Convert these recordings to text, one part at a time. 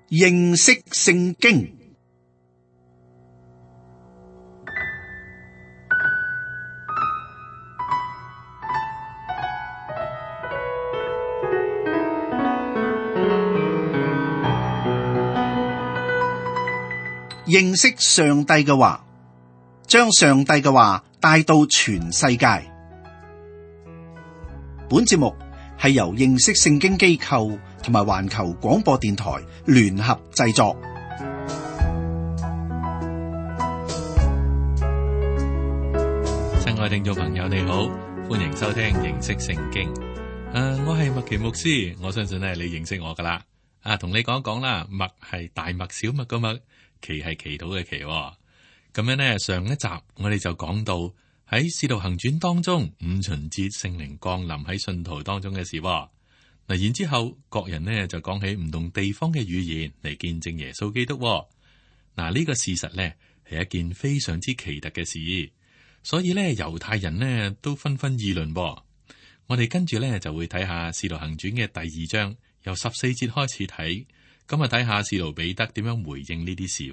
認識聖經。認識上帝嘅話，將上帝嘅話帶到全世界。本節目係由認識聖經機構同埋環球廣播電台聯合製作。親愛聽眾朋友，你好，歡迎收聽認識聖經。我係麥奇牧師，我相信咧你認識我噶啦。同你講講啦，麥係大麥小麥個麥，祈係祈禱嘅祈。咁樣呢，上一集我哋就講到喺《使徒行傳》當中，五旬節聖靈降臨喺信徒當中嘅事。嗱，然之後各人呢就講起唔同地方嘅語言嚟見證耶穌基督。嗱，呢個事實呢係一件非常之奇特嘅事，所以呢猶太人呢都紛紛議論。我哋跟住呢就會睇下《使徒行傳》嘅第2章，由14節開始睇，咁啊睇下使徒彼得點樣回應呢啲事。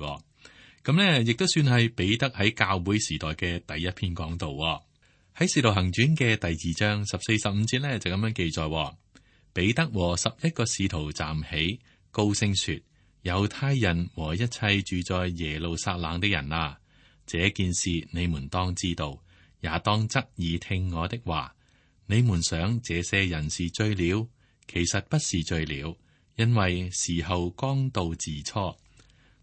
咁呢亦都算係彼得喺教會時代嘅第一篇講道。喺《使徒行傳》嘅第2章14、15節呢就咁樣記載：彼得和11個使徒站起，高聲說：猶太人和一切住在耶路撒冷的人啊，這件事你們當知道，也當側耳聽我的話。你們想這些人是醉了，其實不是醉了，因為時候剛到巳初。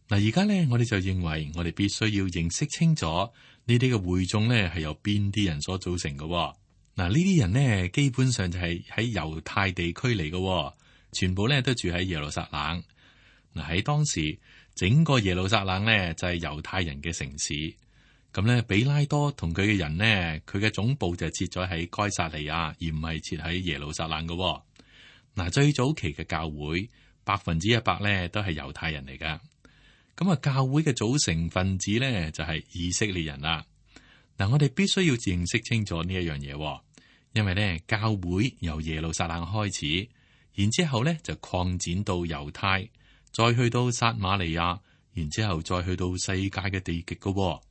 嗱，而家呢，我哋就認為我哋必須要認識清楚呢啲嘅會眾呢係由邊啲人所組成嘅。嗱，呢啲人呢基本上就係喺猶太地區嚟嘅，全部呢都住喺耶路撒冷。嗱，喺當時整個耶路撒冷呢就係猶太人嘅城市。咁呢，比拉多同佢嘅人呢，佢嘅總部就設咗喺該撒利亞，而唔係設喺耶路撒冷嘅。嗱，最早期嘅教會100%呢都係猶太人嚟噶。咁啊，教會嘅組成分子呢，就係以色列人啦。嗱，我哋必須要認識清楚呢一樣嘢，因為呢教會由耶路撒冷開始，然之後呢就擴展到猶太，再去到撒瑪利亞，然之後再去到世界嘅地極噶。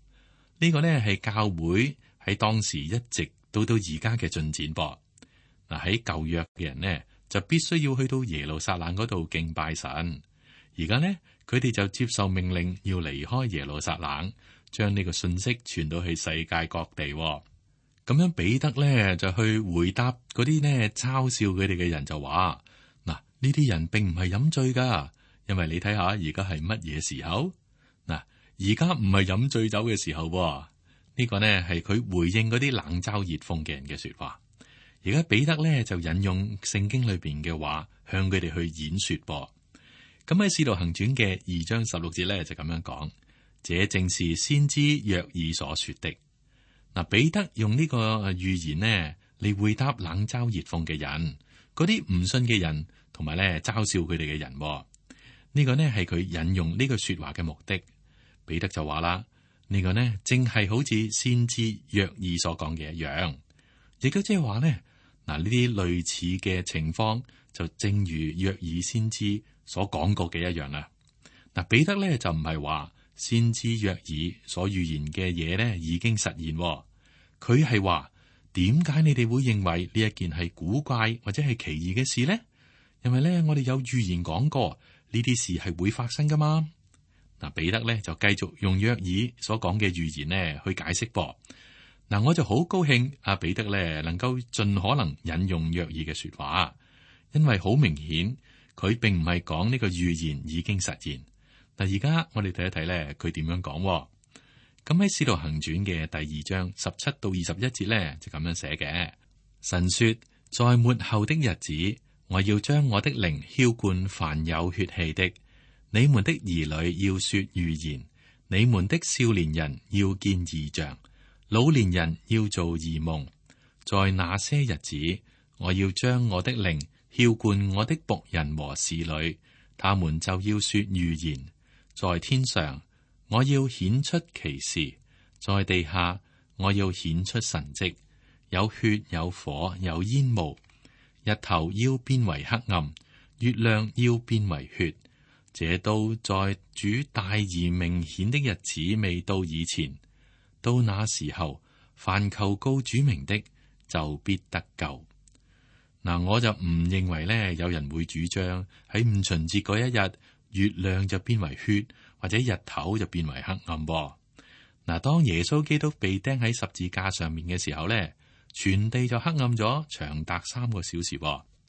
呢個呢係教會喺當時一直到而家嘅進展噃。嗱，喺舊約嘅人呢，就必須要去到耶路撒冷嗰度敬拜神。而家呢，佢哋就接受命令要離開耶路撒冷，將呢個信息傳到去世界各地。咁樣彼得呢就去回答嗰啲呢嘲笑佢哋嘅人，就話：嗱，呢啲人並唔係飲醉噶，因為你睇下而家係乜嘢時候？嗱，而家唔係飲醉酒嘅時候。呢個呢係佢回應嗰啲冷嘲熱諷嘅人嘅說話。而家彼得呢就引用聖經裏邊嘅話，向佢哋去演說噃。咁喺《使徒行傳》嘅2章16節咧就咁樣講：這正是先知約珥所說的。嗱，彼得用呢個預言呢嚟回答冷嘲熱諷嘅人，嗰啲唔信嘅人，同埋咧嘲笑佢哋嘅人。呢個呢係佢引用呢句說話嘅目的。彼得就話啦：呢個呢正係好似先知約珥所講嘅一樣，亦都即係話呢，嗱，呢啲類似嘅情況就正如約珥先知所講過嘅一樣啦。嗱，彼得咧就唔係話先知約珥所預言嘅嘢咧已經實現，佢係話點解你哋會認為呢一件係古怪或者係奇異嘅事呢？因為咧我哋有預言講過呢啲事係會發生噶嘛。嗱，彼得咧就繼續用約珥所講嘅預言咧去解釋噃。嗱，我就好高興阿彼得咧能夠盡可能引用約珥嘅說話，因為好明顯。佢並唔係講呢個預言已經實現。嗱，而家我哋睇一睇咧，佢點樣講？咁喺《使徒行傳》嘅第2章17到21節咧，就咁樣寫嘅。神說：在末後的日子，我要將我的靈澆灌凡有血氣的。你們的兒女要說預言，你們的少年人要見異象，老年人要做異夢。在那些日子，我要將我的靈澆灌我的僕人和使女，他們就要說預言。在天上，我要顯出奇事；在地下，我要顯出神蹟。有血，有火，有煙霧。日頭要變為黑暗，月亮要變為血。這都在主大而明顯的日子未到以前。到那時候，凡求告主名的，就必得救。嗱，我就唔認為咧，有人會主張喺五旬節嗰一日，月亮就變為血，或者日頭就變為黑暗。嗱，當耶穌基督被釘喺十字架上面嘅時候咧，全地就黑暗咗長達3個小時。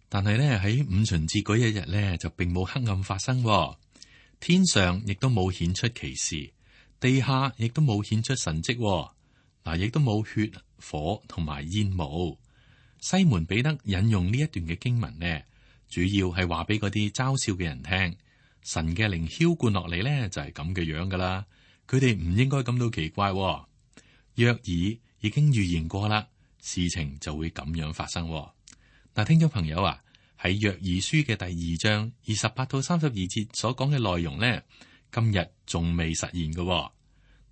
但係咧，喺五旬節嗰一日咧，就並冇黑暗發生。天上亦都冇顯出奇事，地下亦都冇顯出神蹟。嗱，亦都冇血、火同埋煙霧。西門彼得引用呢一段嘅經文呢，主要係話俾嗰啲嘲笑嘅人聽，神嘅靈澆灌落嚟呢，就係咁嘅樣噶啦。佢哋唔應該感到奇怪。約珥已經預言過啦，事情就會咁樣發生。嗱，聽眾朋友啊，喺約珥書嘅第2章28到32節所講嘅內容呢，今日仲未實現嘅。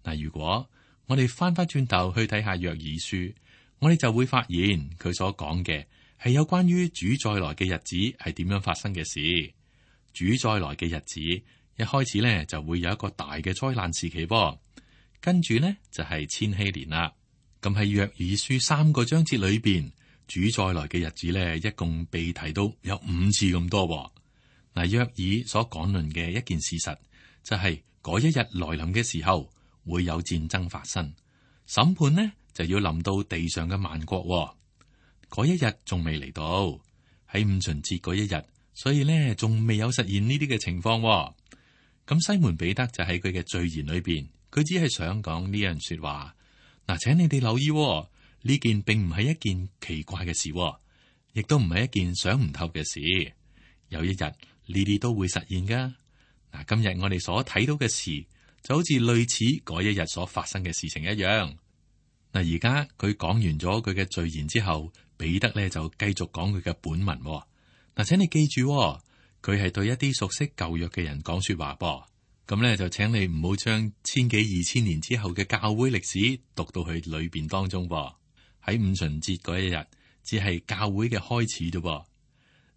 嗱，如果我哋翻翻轉頭去睇下約珥書，我哋就會發現佢所講嘅係有關於主再來嘅日子係點樣發生嘅事。主再來嘅日子一開始呢，就會有一個大嘅災難時期，跟住呢，就係千禧年啦。咁喺約珥書3個章節裏邊，主再來嘅日子呢，一共被提到有5次咁多。嗱，約珥所講論嘅一件事實就係嗰一日來臨嘅時候會有戰爭發生，審判呢，就要臨到地上嘅萬國。嗰一日仲未嚟到，喺五旬節嗰一日，所以呢，仲未有實現呢啲嘅情況。咁西門彼得就喺佢嘅序言裏邊，佢只係想講呢樣說話。嗱，請你哋留意，呢件並唔係一件奇怪嘅事，亦都唔係一件想唔透嘅事。有一日呢啲都會實現噶。嗱，今日我哋所睇到嘅事，就好似類似嗰一日所發生嘅事情一樣。嗱，而家佢講完咗佢嘅序言之後，彼得咧就繼續講佢嘅本文。嗱，請你記住，佢係對一啲熟悉舊約嘅人講說話噃。咁咧就請你唔好將千幾2000年之後嘅教會歷史讀到去裏邊當中。喺五旬節嗰一日，只係教會嘅開始啫。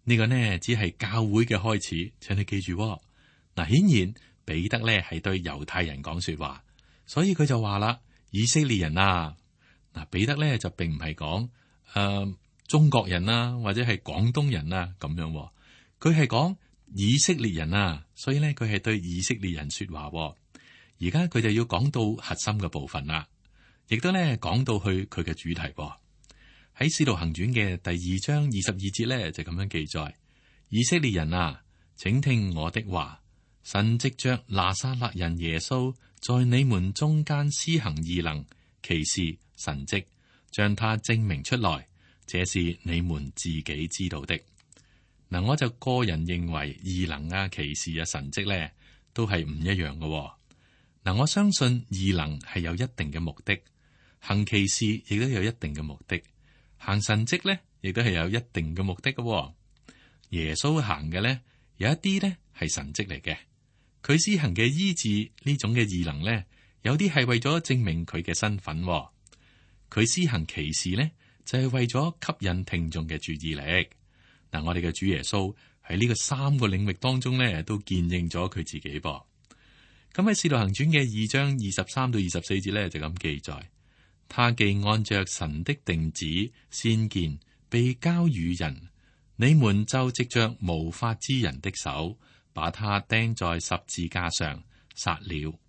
呢個呢，只係教會嘅開始，請你記住。嗱，顯然彼得咧係對猶太人講說話，所以佢就話啦：以色列人啊！嗱，彼得咧就並唔係講中國人啊，或者係廣東人啊咁樣，佢係講以色列人啊，所以咧佢係對以色列人說話。而家佢就要講到核心嘅部分啦，亦都咧講到去佢嘅主題。喺《使徒行傳》嘅第2章22節咧就咁樣記載：以色列人啊，請聽我的話，神藉着拿撒勒人耶穌在你們中間施行異能、奇事、神蹟，將他證明出來，這是你們自己知道的。嗱，我就個人認為異能啊、奇事啊、神蹟咧，都係唔一樣嘅。嗱，我相信異能係有一定嘅目的，行奇事亦都有一定嘅目的，行神蹟咧亦都係有一定嘅目的嘅。耶穌行嘅咧，有一啲咧係神蹟嚟嘅，佢施行嘅醫治呢種嘅異能咧，有啲係為咗證明佢嘅身份。佢施行奇事咧，就係為咗吸引聽眾嘅注意力。嗱，我哋嘅主耶穌喺呢個3個領域當中咧，都見證咗佢自己噃。咁喺《使徒行傳》嘅2章23到24節咧，就咁記載：他既按着神的定旨先見被交與人，你們就藉着無法之人的手，把他釘在十字架上殺了。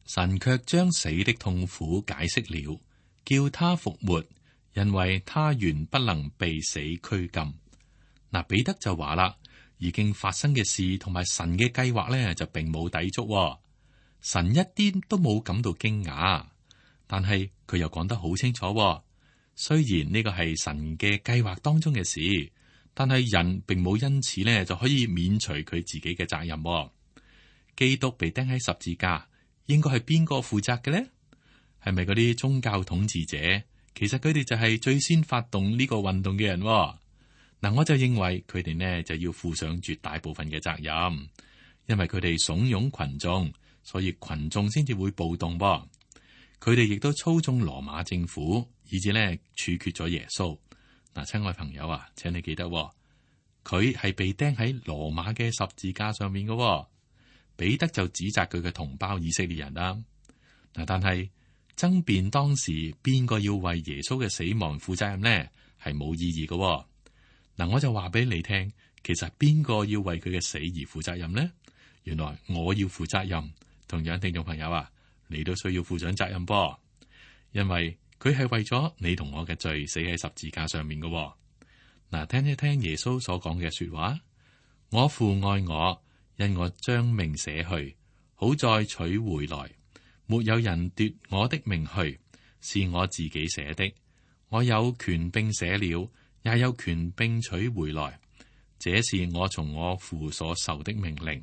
神卻將死的痛苦解釋了，叫他復活，因為他原不能被死拘禁。嗱，彼得就話啦，已經發生嘅事同埋神嘅計劃咧，就並冇抵觸。神一啲都冇感到驚訝，但係佢又講得好清楚。雖然呢個係神嘅計劃當中嘅事，但係人並冇因此咧就可以免除佢自己嘅責任。基督被釘喺十字架，應該係邊個負責嘅呢？係咪嗰啲宗教統治者？其實佢哋就係最先發動呢個運動嘅人。嗱，我就認為佢哋呢就要負上絕大部分嘅責任，因為佢哋慫恿群眾，所以群眾先至會暴動。佢哋亦都操縱羅馬政府，以至呢處決咗耶穌。嗱，親愛朋友啊，請你記得，佢係被釘喺羅馬嘅十字架上面嘅。彼得就指責佢嘅同胞以色列人啦。嗱，但係爭辯當時邊個要為耶穌嘅死亡負責任呢？係冇意義嘅。嗱，我就話俾你聽，其實邊個要為佢嘅死而負責任呢？原來我要負責任。同樣，聽眾朋友啊，你都需要負上責任噃，因為佢係為咗你同我嘅罪死喺十字架上面嘅。嗱，聽一聽耶穌所講嘅說話：我父愛我，因我將命捨去，好再取回來。沒有人奪我的命去，是我自己捨的。我有權並捨了，也有權並取回來。這是我從我父所受的命令。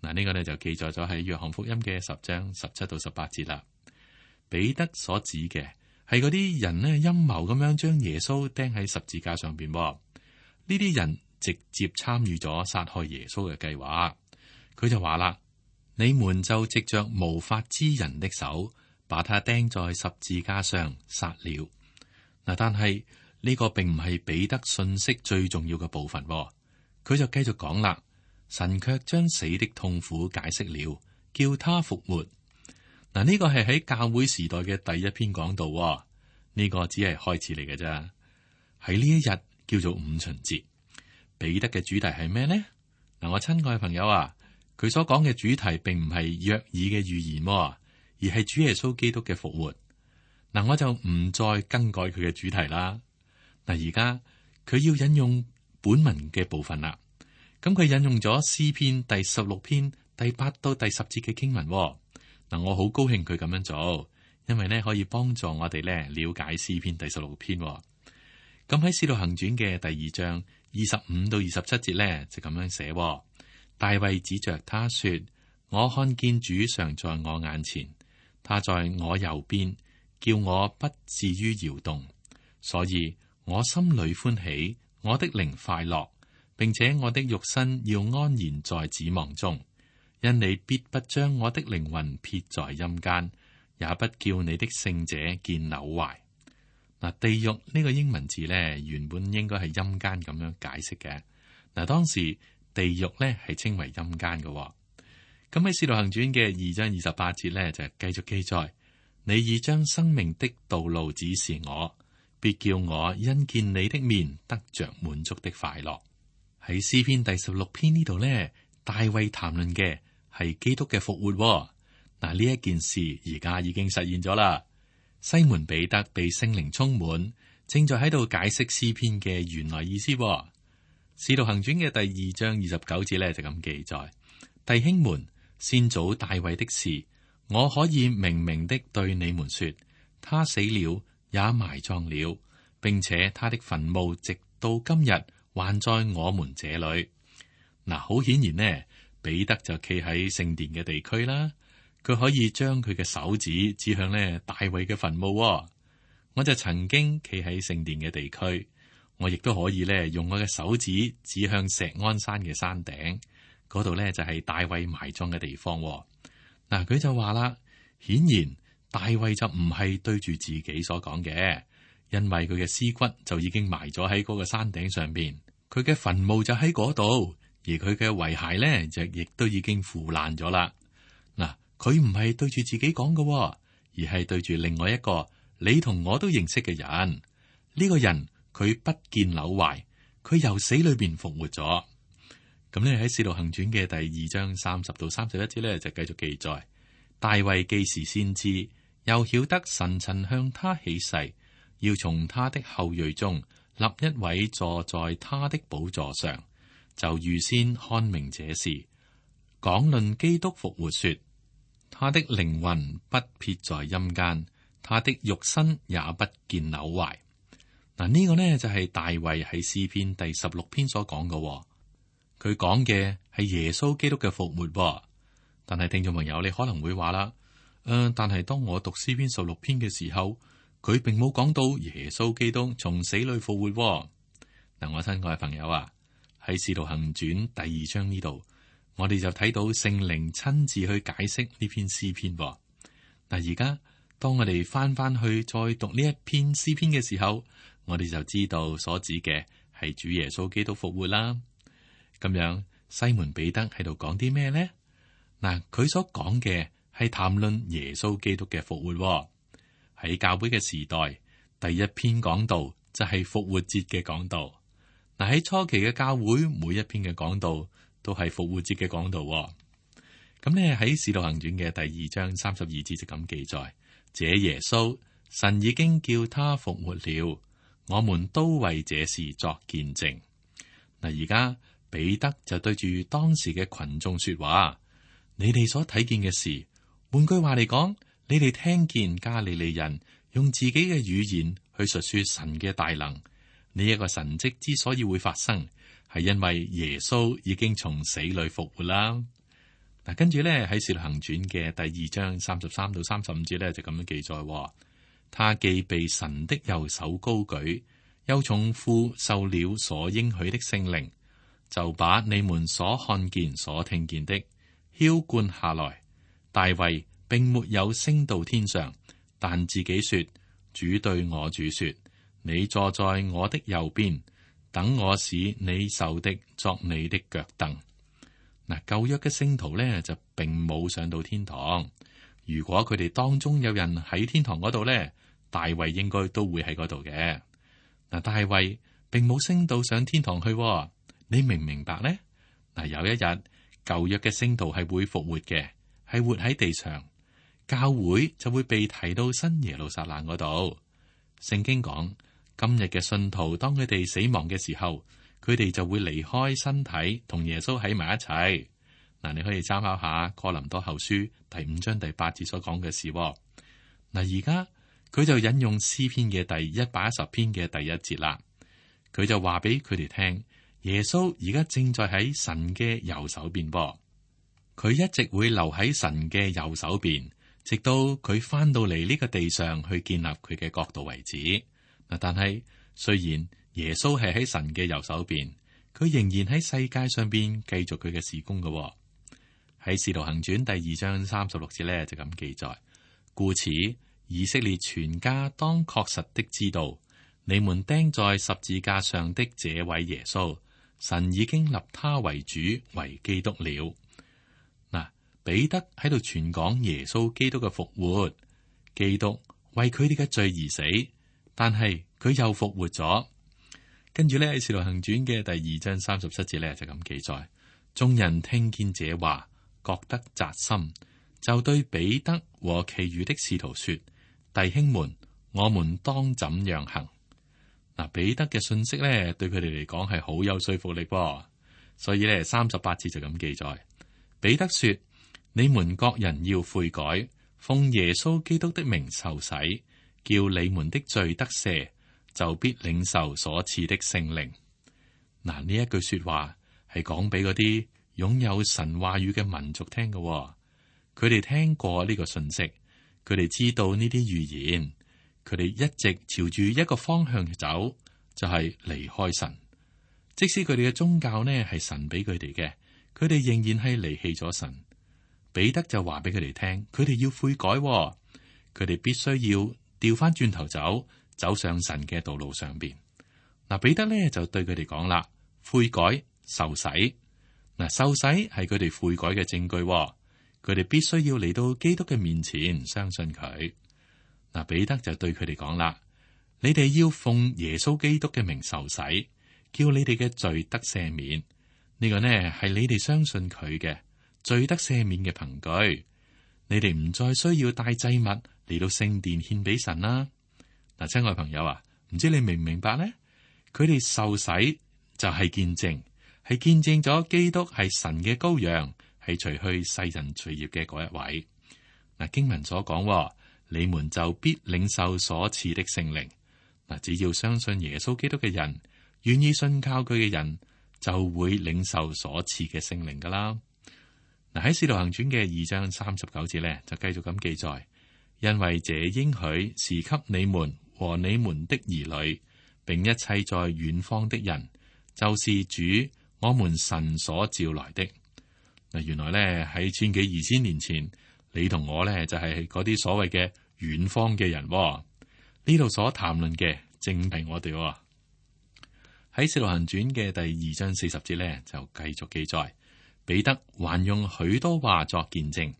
嗱，呢個呢就記載咗喺約翰福音嘅10章17到18節啦。彼得所指嘅係嗰啲人呢陰謀咁樣將耶穌釘喺十字架上邊。呢啲人直接參與咗殺害耶穌嘅計劃。佢就話啦：你們就藉着無法之人的手，把他釘在十字架上殺了。嗱，但係呢個並唔係彼得信息最重要嘅部分。佢就繼續講啦。神卻將死的痛苦解釋了，叫他復活。嗱，呢個係喺教會時代嘅第一篇講道。呢個只係開始嚟嘅啫。喺呢一日叫做五旬節，彼得嘅主題係咩呢？嗱，我親愛嘅朋友啊，佢所講嘅主題並唔係約珥嘅預言，而係主耶穌基督嘅復活。嗱，我就唔再更改佢嘅主題啦。嗱，而家佢要引用本文嘅部分啦。咁佢引用咗詩篇第16篇第8到第10節嘅經文。嗱，我好高興佢咁樣做，因為呢可以幫助我哋呢了解詩篇第16篇。咁喺《使徒行傳》嘅第2章25到27節呢，就咁樣寫：大衛指着他說，我看見主常在我眼前，他在我右邊，叫我不至於搖動，所以我心裏歡喜，我的靈快樂。並且我的肉身要安然在指望中，因你必不將我的靈魂撇在陰間，也不叫你的聖者見朽壞。嗱，地獄呢個英文字呢，原本應該係陰間咁樣解釋嘅。嗱，當時地獄呢係稱為陰間嘅。咁喺《使徒行傳》嘅2章28節呢，就繼續記載：你已將生命的道路指示我，必叫我因見你的面得着滿足的快樂。喺詩篇第16篇呢度呢，大衛談論嘅係基督嘅復活。嗱，呢一件事而家已經實現咗啦。西門彼得被聖靈充滿，正在喺度解釋詩篇嘅原來意思。使徒行傳嘅第2章29節呢，就咁記載：弟兄們，先祖大衛的事，我可以明明的對你們說，他死了，也埋葬了，並且他的墳墓直到今日還在我們這裏。嗱，好顯然呢，彼得就企喺聖殿嘅地區啦，佢可以將佢嘅手指指向呢大衛嘅墳墓。我就曾經企喺聖殿嘅地區，我亦都可以呢用我嘅手指指向錫安山嘅山頂，嗰度呢就係大衛埋葬嘅地方。嗱，佢就話啦，顯然大衛就唔係對住自己所講嘅。因為佢嘅屍骨就已經埋咗喺嗰個山頂上邊，佢嘅墳墓就喺嗰度，而佢嘅遺骸咧就亦都已經腐爛咗啦。嗱，佢唔係對住自己講嘅，而係對住另外一個你同我都認識嘅人。呢個人佢不見朽壞，佢由死裏邊復活咗。咁咧喺《使徒行傳》嘅第2章30到31節咧就繼續記載：大衛既是先知，又曉得神曾向他起誓，要從他的後裔中立一位坐在他的寶座上，就預先看明這事，講論基督復活說，他的靈魂不撇在陰間，他的肉身也不見朽壞。嗱，呢個呢就係大衛喺詩篇第16篇所講嘅，佢講嘅係耶穌基督嘅復活。但係聽眾朋友，你可能會話啦，但係當我讀詩篇16篇嘅時候，佢並冇講到耶穌基督從死裏復活。嗱，我親愛嘅朋友啊，喺《使徒行傳》第2章呢度，我哋就睇到聖靈親自去解釋呢篇詩篇。嗱，而家當我哋翻去再讀呢一篇詩篇嘅時候，我哋就知道所指嘅係主耶穌基督復活啦。咁樣，西門彼得喺度講啲咩呢？嗱，佢所講嘅係談論耶穌基督嘅復活。喺教會嘅時代，第一篇講道就係復活節嘅講道。嗱，喺初期嘅教會，每一篇嘅講道都係復活節嘅講道。咁呢，喺《使徒行傳》嘅第2章32節就咁記載：這耶穌，神已經叫他復活了，我們都為這事作見證。嗱，而家彼得就對住當時嘅群眾說話：你哋所睇見嘅事，換句話嚟講，你哋聽見加利利人用自己嘅語言去述說神嘅大能。呢一個神蹟之所以會發生，係因為耶穌已經從死裏復活啦。嗱，跟住咧喺《使徒行傳》嘅第2章33到35節咧就咁樣記載：他既被神的右手高舉，又從父受了所應許的聖靈，就把你們所看見、所聽見的澆灌下來。大衛並沒有升到天上，但自己說：主對我主說，你坐在我的右邊，等我使你受的作你的腳凳。嗱，舊約嘅聖徒咧就並冇上到天堂。如果佢哋當中有人喺天堂嗰度咧，大衛應該都會喺嗰度嘅。嗱，大衛並冇升到上天堂去，你明唔明白呢？嗱，有一日舊約嘅聖徒係會復活嘅，係活喺地上，教會就會被提到新耶路撒冷嗰度。聖經講，今日嘅信徒當佢哋死亡嘅時候，佢哋就會離開身體，同耶穌喺埋一齊。嗱，你可以參考下哥林多後書第5章第8節所講嘅事。嗱，而家佢就引用詩篇嘅第110篇嘅第1節啦。佢就話俾佢哋聽，耶穌而家正在喺神嘅右手邊噃。佢一直會留喺神嘅右手邊，直到佢翻到嚟呢個地上去建立佢嘅國度為止。嗱，但係雖然耶穌係喺神嘅右手邊，佢仍然喺世界上邊繼續佢嘅事工嘅。喺《使徒行傳》第2章36節咧就咁記載：故此以色列全家當確實的知道，你們釘在十字架上的這位耶穌，神已經立他為主為基督了。嗱，彼得喺度傳講耶穌基督嘅復活，基督為佢哋嘅罪而死，但係佢又復活咗。跟住咧喺《使徒行傳》嘅第2章37節咧就咁記載：眾人聽見這話，覺得扎心，就對彼得和其餘的使徒說：弟兄們，我們當怎樣行？嗱，彼得嘅信息咧對佢哋嚟講係好有說服力，所以咧38節就咁記載：彼得說：你們各人要悔改，奉耶穌基督的名受洗，叫你們的罪得赦，就必領受所賜的聖靈。嗱，呢一句說話係講俾嗰啲擁有神話語嘅民族聽嘅，佢哋聽過呢個信息，佢哋知道呢啲預言，佢哋一直朝住一個方向走，就係離開神。即使佢哋嘅宗教呢係神俾佢哋嘅，佢哋仍然係離棄咗神。彼得就話俾佢哋聽，佢哋要悔改，佢哋必須要調翻轉頭走上神嘅道路上邊。嗱，彼得呢就對佢哋講啦：悔改受洗。嗱，受洗係佢哋悔改嘅證據，佢哋必須要嚟到基督嘅面前相信佢。嗱，彼得就對佢哋講啦：你哋要奉耶穌基督嘅名受洗，叫你哋嘅罪得赦免。呢個呢係你哋相信佢嘅罪得赦免嘅憑據。你哋唔再需要帶祭物嚟到聖殿獻俾神啦。嗱，親愛朋友啊，唔知你明唔明白呢？佢哋受洗就係見證。係見證咗基督係神嘅羔羊，係除去世人罪孽嘅嗰一位。嗱，經文所講，你們就必領受所賜的聖靈。嗱，只要相信耶穌基督嘅人，願意信靠佢嘅人，就會領受所賜嘅聖靈噶啦。嗱，喺《使徒行傳》嘅2章39節咧，就繼續咁記載：因為這應許是給你們和你們的兒女，並一切在遠方的人，就是主我們神所召來的。嗱，原來咧喺千幾2000年前，你同我咧就係嗰啲所謂嘅遠方嘅人。呢度所談論嘅正係我哋。喺《使徒行傳》嘅第2章40節咧，就繼續記載：彼得還用許多話作見證，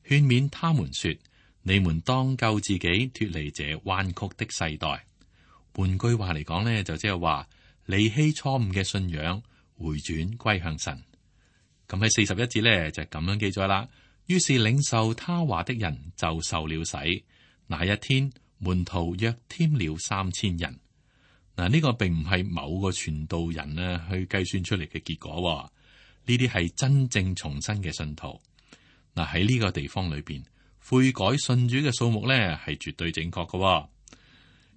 勸勉他們說：你們當救自己脫離這彎曲的世代。換句話嚟講呢，就即係話離棄錯誤嘅信仰，回轉歸向神。咁喺41節呢，就咁樣記載啦。於是領受他話的人就受了洗。那一天門徒約添了3000人。嗱，呢個並唔係某個傳道人啊去計算出嚟嘅結果。呢啲係真正重生嘅信徒。嗱，喺呢個地方裏邊，悔改信主嘅數目呢係絕對正確嘅。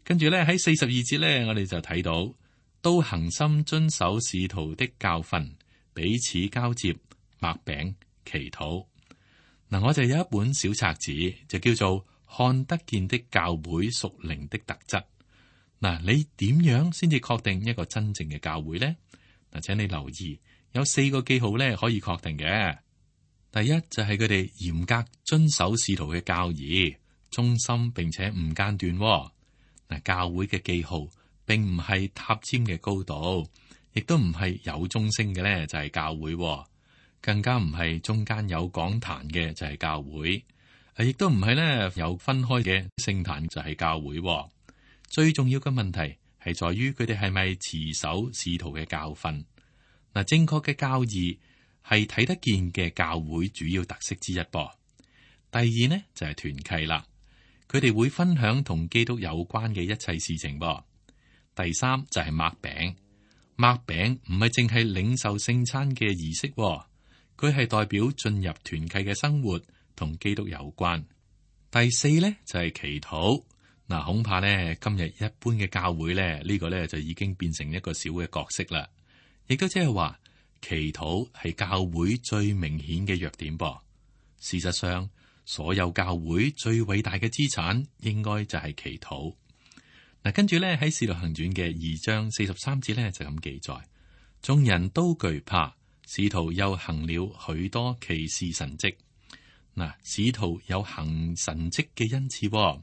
跟住咧喺42節咧，我哋就睇到都恒心遵守使徒的教訓，彼此交接，擘餅祈禱。嗱，我就有一本小冊子，就叫做看得見的教會屬靈的特質。嗱，你點樣先至確定一個真正嘅教會呢？嗱，請你留意有4個記號咧可以確定嘅。第一就係佢哋嚴格遵守使徒嘅教義，忠心並且唔間斷。嗱，教會嘅記號並唔係塔尖嘅高度，亦都唔係有鐘聲嘅咧就係教會，更加唔係中間有講壇嘅就係教會，亦都唔係咧有分開嘅聖壇就係教會。最重要嘅問題係在於佢哋係咪持守使徒嘅教訓。嗱，正確嘅教義係睇得見嘅教會主要特色之一噃。第二呢就係團契啦。佢哋會分享同基督有關嘅一切事情噃。第三就係擘餅，擘餅唔係淨係領受聖餐嘅儀式，佢係代表進入團契嘅生活，同基督有關。第四咧就係祈禱。嗱，恐怕咧今日一般嘅教會咧呢個咧就已經變成一個小嘅角色啦，亦都即係話祈禱係教會最明顯嘅弱點噃。事實上，所有教會最偉大嘅資產，應該就係祈禱。嗱，跟住咧喺《使徒行傳》嘅2章43節咧就咁記載：眾人都懼怕，使徒又行了許多奇事神蹟。嗱，使徒有行神蹟嘅恩賜。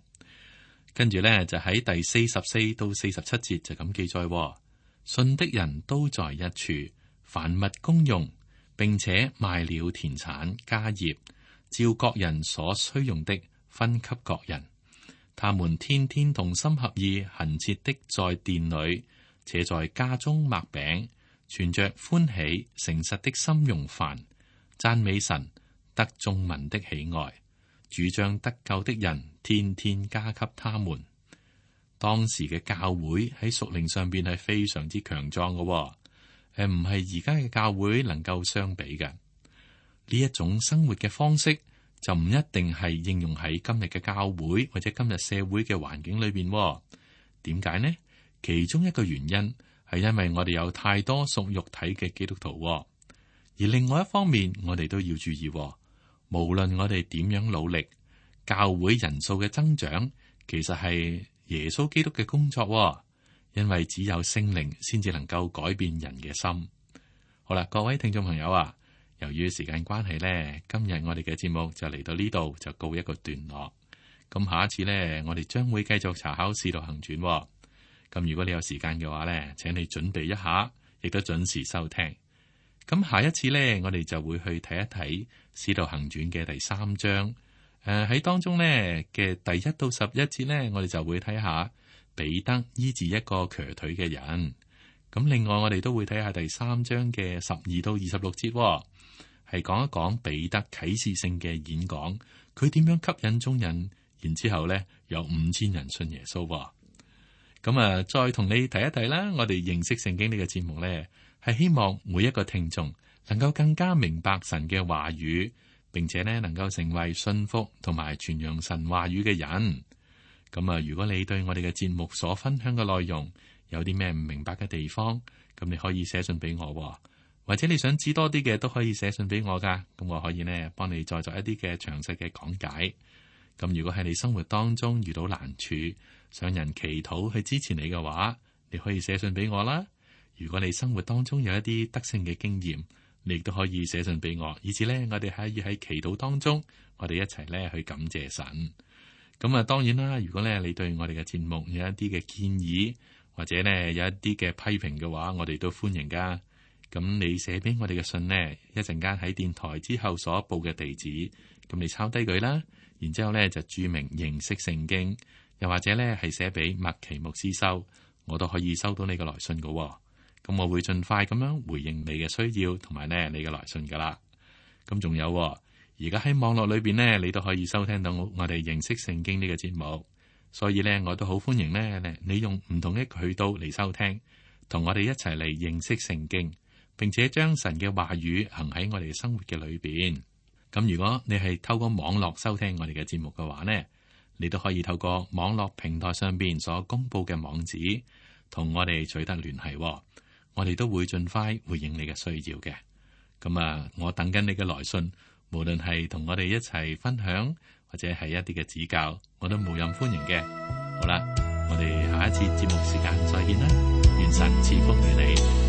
跟住咧就喺第44到47節就咁記載：信的人都在一處，凡物公用，並且賣了田產家業，照各人所需用的分給各人。他們天天同心合意，恆切的在殿裏，且在家中擘餅，存着歡喜誠實的心用飯，讚美神，得眾民的喜愛。主將得救的人天天加給他們。當時嘅教會喺屬靈上邊係非常之強壯嘅，唔係而家嘅教會能夠相比嘅。呢一種生活嘅方式就唔一定係應用喺今日嘅教會或者今日社會嘅環境裏邊。點解呢？其中一個原因係因為我哋有太多屬肉體嘅基督徒，而另外一方面我哋都要注意。無論我哋點樣努力，教會人數嘅增長其實係耶穌基督嘅工作，因為只有聖靈先至能夠改變人嘅心。好啦，各位聽眾朋友啊，由於時間關係呢，今日我哋嘅節目就嚟到呢度就告一個段落。咁下一次呢，我哋將會繼續查考《使徒行傳》。咁如果你有時間嘅話呢，請你準備一下，亦都準時收聽。咁下一次呢，我哋就會去睇一睇《使徒行傳》嘅第3章。喺當中呢嘅第1到11節呢，我哋就會睇下彼得醫治一個瘸腿嘅人。咁另外我哋都會睇下第3章嘅12到26節，係講一講彼得啟示性嘅演講，佢點樣吸引眾人，然之後呢有5000人信耶穌。咁再同你提一提啦，我哋認識聖經呢個節目呢，係希望每一個聽眾能夠更加明白神嘅話語，並且呢能夠成為信服同埋傳揚神話語嘅人。咁如果你對我哋嘅節目所分享嘅內容有啲咩唔明白嘅地方，咁你可以寫信俾我，或者你想知多啲嘅都可以寫信俾我噶。咁我可以呢幫你再作一啲嘅詳細嘅講解。咁如果喺你生活當中遇到難處，想人祈禱去支持你嘅話，你可以寫信俾我啦。如果你生活當中有一啲得勝嘅經驗，你亦都可以寫信俾我，以至呢，我哋可以喺祈禱當中，我哋一齊呢去感謝神。咁當然啦，如果呢你對我哋嘅節目有一啲嘅建議，或者呢有一啲嘅批評嘅話，我哋都歡迎噶。咁你寫俾我哋嘅信呢，一陣間喺電台之後所報嘅地址，咁你抄低佢啦，然之後呢就注明認識聖經，又或者呢係寫俾麥奇牧師收，我都可以收到你嘅來信噶。咁我會盡快咁樣回應你嘅需要，同埋呢你嘅來信噶啦。咁仲有，而家喺網絡裏邊呢，你都可以收聽到我哋認識聖經呢個節目，所以呢，我都好歡迎呢你用唔同嘅渠道嚟收聽，同我哋一齊嚟認識聖經，並且將神嘅話語行喺我哋嘅生活嘅裏邊。咁如果你係透過網絡收聽我哋嘅節目嘅話呢，你都可以透過網絡平台上邊所公布嘅網址，同我哋取得聯繫。我哋都會盡快回應你嘅需要嘅。咁我等緊你嘅來信，無論係同我哋一齊分享，或者係一啲嘅指教，我都無任歡迎嘅。好啦，我哋下一次節目時間再見啦，願神賜福於你。